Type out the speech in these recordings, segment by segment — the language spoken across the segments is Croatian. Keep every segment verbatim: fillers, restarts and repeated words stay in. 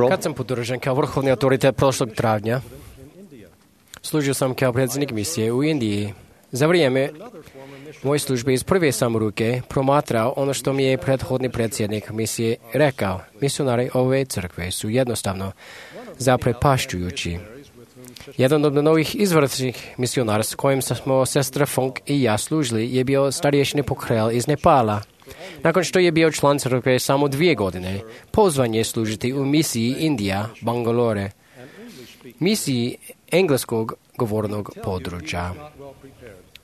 Kad sam podržan kao vrhovni autoritet prošlog travnja, služio sam kao predsjednik misije u Indiji. Za vrijeme moje službe iz prve sam ruke promatrao ono što mi je prethodni predsjednik misije rekao. Misionari ove crkve su jednostavno zaprepašćujući. Jedan od novih izvrsnih misionara s kojim smo sestra Funk i ja služili je bio starješni Pokhrel iz Nepala. Nakon što je bio član crkve samo dvije godine, pozvan je služiti u misiji Indija, Bangalore, misiji engleskog govornog područja.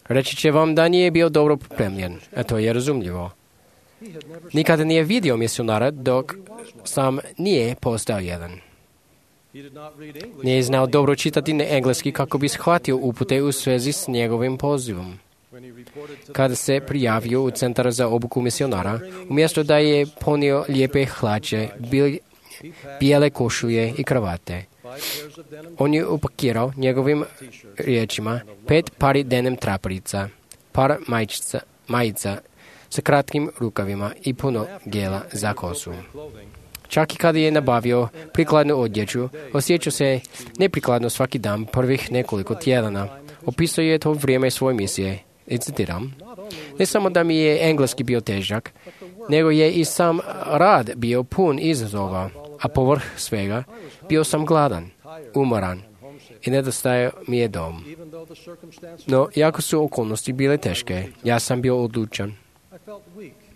Reći će vam da nije bio dobro pripremljen, a to je razumljivo. Nikada nije vidio misionara dok sam nije postao jedan. Nije znao dobro čitati na engleski kako bi shvatio upute u svezi s njegovim pozivom. Kada se prijavio u centar za obuku misionara, umjesto da je ponio lijepe hlače, bijele košulje i kravate, on je upakirao njegovim riječima pet pari denim traperica, par majica, majica sa kratkim rukavima i puno gela za kosu. Čak i kada je nabavio prikladnu odjeću, osjećao se neprikladno svaki dan prvih nekoliko tjedana. Opisao je to vrijeme svoje misije. I citiram, ne samo da mi je engleski bio težak, nego je i sam rad bio pun izazova, a povrh svega bio sam gladan, umoran i nedostajao mi je dom. No, jako su okolnosti bile teške, ja sam bio odlučan.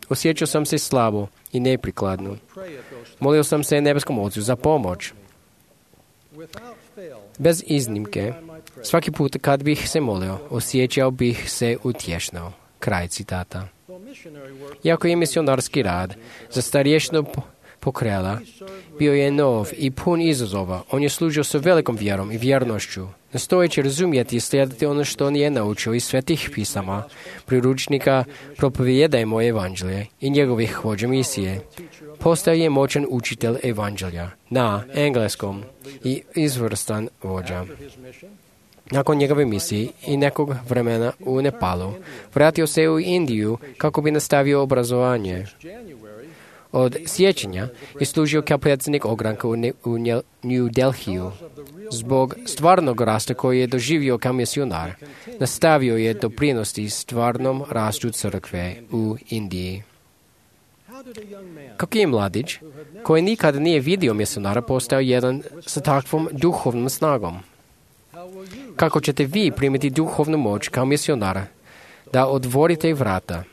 Osjećao sam se slabo i neprikladno. Molio sam se nebeskom Ocu za pomoć. Bez iznimke, svaki put kad bih se molio, osjećao bih se utješno. Kraj citata. Iako je misionarski rad za starješnog Pokhrela bio je nov i pun izazova, on je služio sa velikom vjerom i vjernošću, nastojeći razumjeti i slijediti ono što on je naučio iz svetih pisama, priručnika Propovijedajmo evanđelje i njegovih vođa misije. Postao je moćan učitelj evanđelja na engleskom i izvrstan vođa. Nakon njegove misije i nekog vremena u Nepalu, vratio se u Indiju kako bi nastavio obrazovanje. Od sjećanja je služio kao predsjednik ogranka u, ne, u New Delhiju. Zbog stvarnog rasta koji je doživio kao misionar, nastavio je doprinosti stvarnom rastu crkve u Indiji. Kako je mladić, koji nikad nije vidio misionara, postao jedan sa takvom duhovnom snagom? Kako ćete vi primiti duhovnu moć kao misionara da otvorite vrata,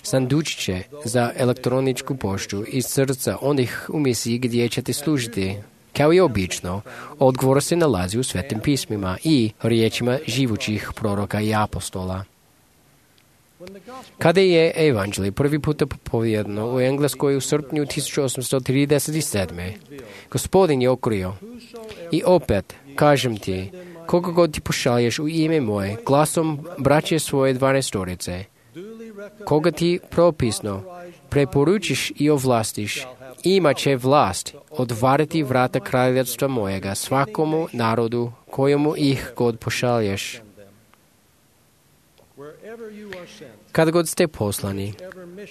sandučiće za elektroničku poštu iz srca onih u misiji gdje ćete služiti? Kao i obično, odgovor se nalazi u svetim pismima i riječima živućih proroka i apostola. Kada je evanđelje prvi puta propovijedano u Engleskoj u srpnju tisuću osamsto trideset sedme. Gospodin je otkrio: i opet, kažem ti, koga god ti pošalješ u ime moje, glasom braće svoje dvanaestorice, koga ti propisno preporučiš i ovlastiš, imat će vlast otvariti vrata kraljevstva mojega svakomu narodu kojemu ih god pošalješ. Kad god ste poslani,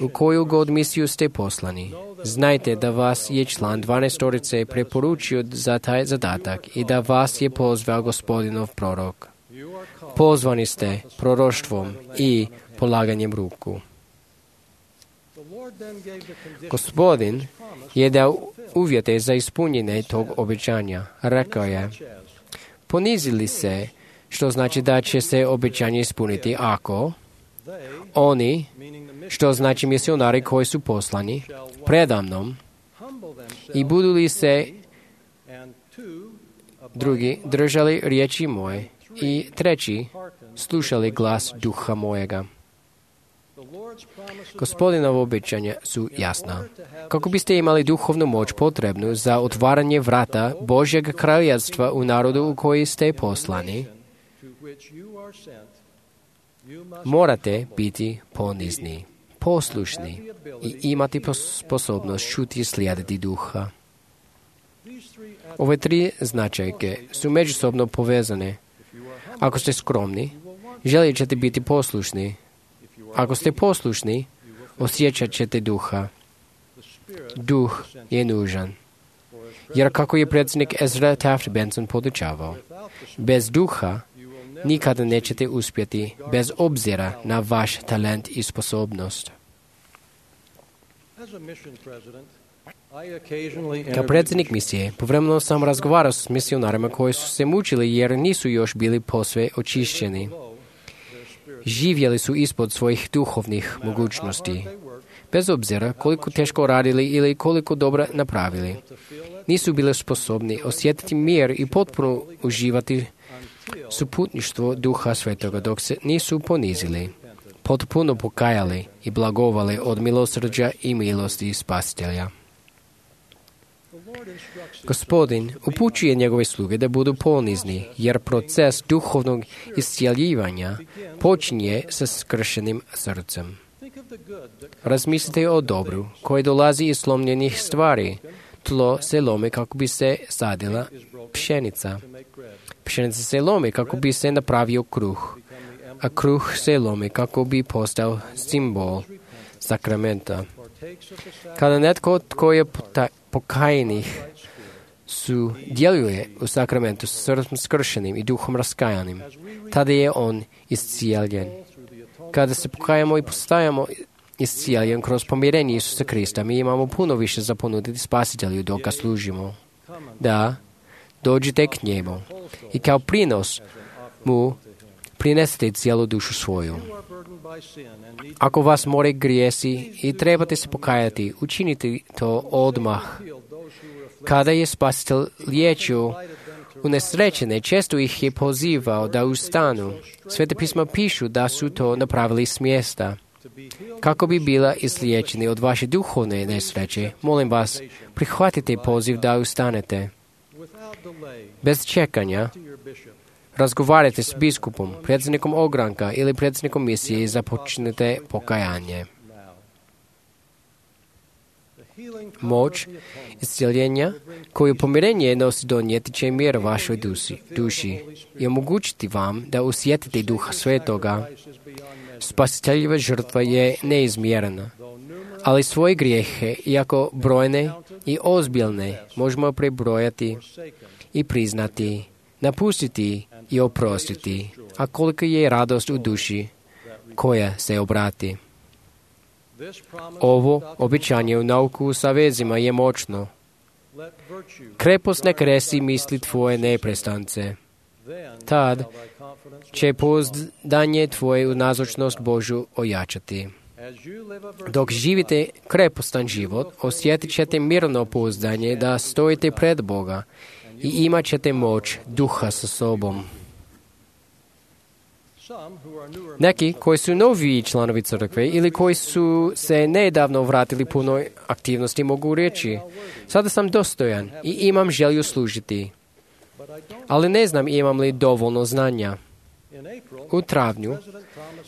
u koju god misiju ste poslani, znajte da vas je član dvanaestorice preporučio za taj zadatak i da vas je pozvao Gospodinov prorok. Pozvani ste proroštvom i polaganjem ruku. Gospodin je dao uvjete za ispunjenje tog obećanja. Rekao je: ponizili se, što znači da će se obećanje ispuniti ako oni, što znači misionari koji su poslani, predamnom, i budu li se drugi držali riječi moje i treći slušali glas duha mojega. Gospodinovo obećanja su jasna. Kako biste imali duhovnu moć potrebnu za otvaranje vrata Božjeg kraljevstva u narodu u koji ste poslani, morate biti ponizni, poslušni i imati sposobnost čuti i slijediti duha. Ove tri značajke su međusobno povezane. Ako ste skromni, želit ćete biti poslušni. Ako ste poslušni, osjećat ćete duha. Duh je nužan. Jer kako je predsjednik Ezra Taft Benson podučavao, bez duha nikada nećete uspjeti, bez obzira na vaš talent i sposobnost. Kao predsjednik misije, povremeno sam razgovarao s misionarima koji su se mučili jer nisu još bili posve očišćeni. Živjeli su ispod svojih duhovnih mogućnosti. Bez obzira koliko teško radili ili koliko dobro napravili, nisu bili sposobni osjetiti mir i potpuno uživati suputništvo Duha Svetoga dok se nisu ponizili, potpuno pokajali i blagovali od milosrđa i milosti Spasitelja. Gospodin upućuje njegove sluge da budu ponizni, jer proces duhovnog iscjeljivanja počinje sa skršenim srcem. Razmislite o dobru koji dolazi iz slomljenih stvari. Tlo se lomi kako bi se sadila pšenica. Pšenica se lomi kako bi se napravio kruh, a kruh se lomi kako bi postao simbol sakramenta. Kada netko tko je pokajnih su djeluje u sakramentu s srcem skršenim i duhom raskajanim, tada je on iscijeljen. Kada se pokajamo i postajamo iscijeljen kroz pomirenje Isusa Krista, mi imamo puno više za ponuditi Spasitelju dok ga služimo. Da, dođite k njemu i kao prinos mu prinesite cijelu dušu svoju. Ako vas more grijesi i trebate se pokajati, učinite to odmah. Kada je Spasitelj liječio unesrećene, često ih je pozivao da ustanu. Svete pisma pišu da su to napravili s mjesta. Kako bi bila izliječeni od vaše duhovne nesreće, molim vas, prihvatite poziv da ustanete. Bez čekanja, razgovarajte s biskupom, predsjednikom ogranka ili predsjednikom misije i započnite pokajanje. Moć iscjeljenja koju pomirenje nosi donijeti će mir vašoj duši, duši i omogućiti vam da osjetite Duha Svetoga. Spasiteljeva žrtva je neizmjerena, ali svoje grijehe, iako brojne i ozbiljne, možemo prebrojati i priznati, napustiti i oprostiti, a koliko je radost u duši koja se obrati. Ovo obećanje u nauku sa vezima je moćno. Krepost ne kresi misli tvoje neprestance. Tad će pouzdanje tvoje u nazočnost Božju ojačati. Dok živite krepostan život, osjetit ćete mirno pouzdanje da stojite pred Boga i imat ćete moć duha sa sobom. Neki koji su noviji članovi crkve ili koji su se nedavno vratili punoj aktivnosti mogu reći: sada sam dostojan i imam želju služiti, ali ne znam imam li dovoljno znanja. U travnju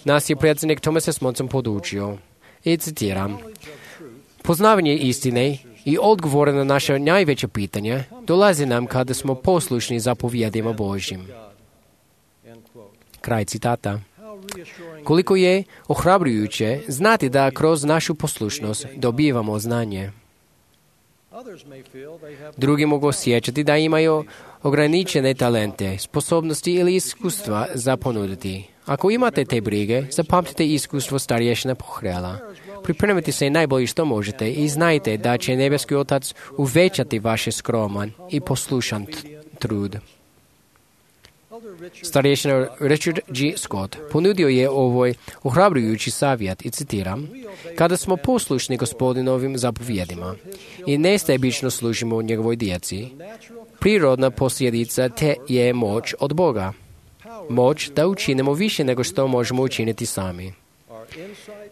nas je predsjednik Thomas S. Monson podučio, i citiram: poznavanje istine i odgovore na naše najveće pitanje dolazi nam kada smo poslušni zapovjedima Božjim. Kraj citata. Koliko je ohrabrujuće znati da kroz našu poslušnost dobivamo znanje. Drugi mogu osjećati da imaju ograničene talente, sposobnosti ili iskustva za ponuditi. Ako imate te brige, zapamtite iskustvo starješina Pohrela. Pripremite se najbolje što možete i znajte da će nebeski Otac uvećati vaš skroman i poslušan trud. Starješina Richard G. Scott ponudio je ovoj ohrabrujući savjet i citiram: kada smo poslušni Gospodinovim zapovjedima i nestebično služimo njegovoj djeci, prirodna posljedica te je moć od Boga. Moć da učinimo više nego što možemo učiniti sami.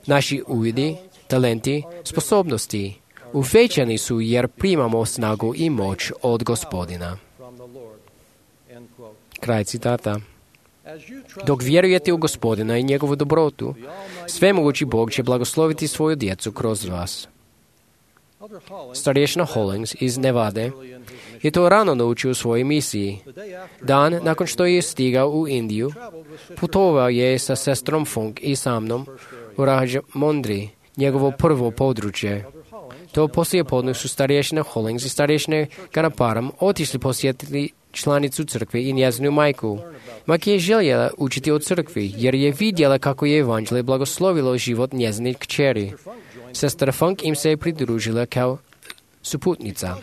Naši uvidi, talenti, sposobnosti uvećani su jer primamo snagu i moć od Gospodina. Kraj citata. Dok vjerujete u Gospodina i njegovu dobrotu, svemogući Bog će blagosloviti svoju djecu kroz vas. Starješina Hollings iz Nevade je to rano naučio u svojoj misiji. Dan nakon što je stigao u Indiju, putovao je sa sestrom Funk i sa mnom u Rajamondri, njegovo prvo područje. To poslijepodne su starješina Hollings i starješina Ganaparam otišli posjetiti članicu crkve i njezinu majku. Majka je željela učiti o crkvi, jer je vidjela kako je evanđelje blagoslovilo život njezine kćeri. Sestra Funk im se je pridružila kao suputnica.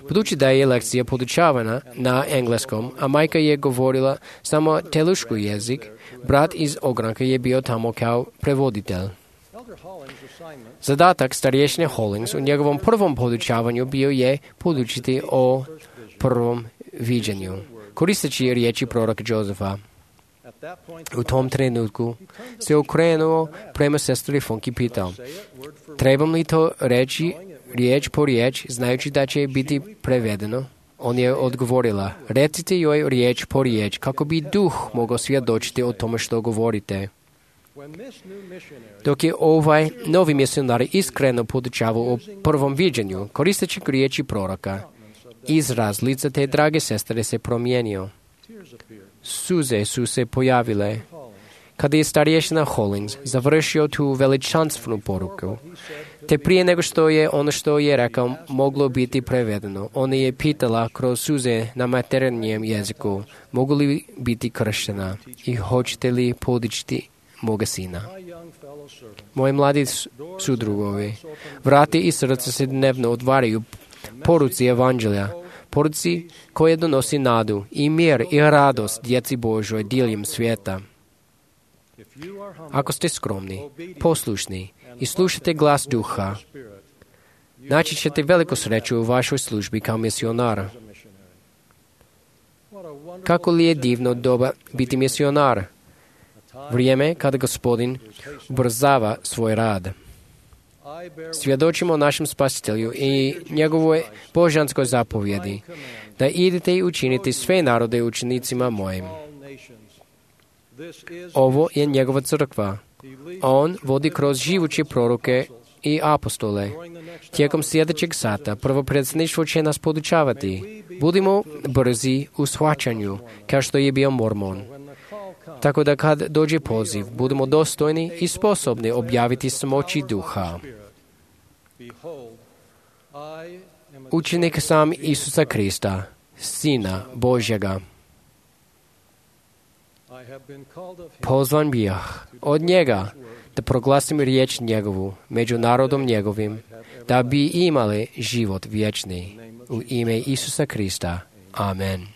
Budući da je lekcija podučavana na engleskom, a majka je govorila samo teluški jezik, brat iz ogranka je bio tamo kao prevoditelj. Zadatak starješine Hollings u njegovom prvom podučavanju bio je podučiti o prvom viđenju, koristeći riječi proroka Josefa. U tom trenutku se okrenuo prema sestri Funk i pitao, trebam li to reći riječ po riječ, znajući da će biti prevedeno? On je odgovorila, recite joj riječ po riječ, kako bi duh mogao svjedočiti o tome što govorite. Dok je ovaj novi misionar iskreno podučavao o prvom viđenju, koristeći riječi proroka, izraz lica te drage sestre se promijenio. Suze su se pojavile. Kada je starješina Hollings završio tu veličanstvenu poruku, te prije nego što je ono što je rekao moglo biti prevedeno, ona je pitala kroz suze na materinjem jeziku, mogu li biti krštena i hoćete li podičiti moga sina. Moji mladi sudrugovi, vrati i srca se dnevno otvaraju poruci evanđelja, poruci koje donosi nadu i mir i radost djeci Božoj diljem svijeta. Ako ste skromni, poslušni i slušate glas duha, naći ćete veliku sreću u vašoj službi kao misionar. Kako li je divno doba biti misionar? Vrijeme kada Gospodin ubrzava svoj rad. Svjedočimo našem Spasitelju i njegovoj božanskoj zapovjedi, da idete i učinite sve narode učenicima mojim. Ovo je njegova crkva. On vodi kroz živuće proroke i apostole. Tijekom sljedećeg sata prvo predsjedništvo će nas podučavati. Budimo brzi u shvaćanju, kao što je bio Mormon. Tako da kad dođe poziv, budemo dostojni i sposobni objaviti smoći duha. Učenik sam Isusa Krista, Sina Božjega. Pozvan bijah od njega da proglasim riječ njegovu među narodom njegovim, da bi imali život vječni. U ime Isusa Krista. Amen.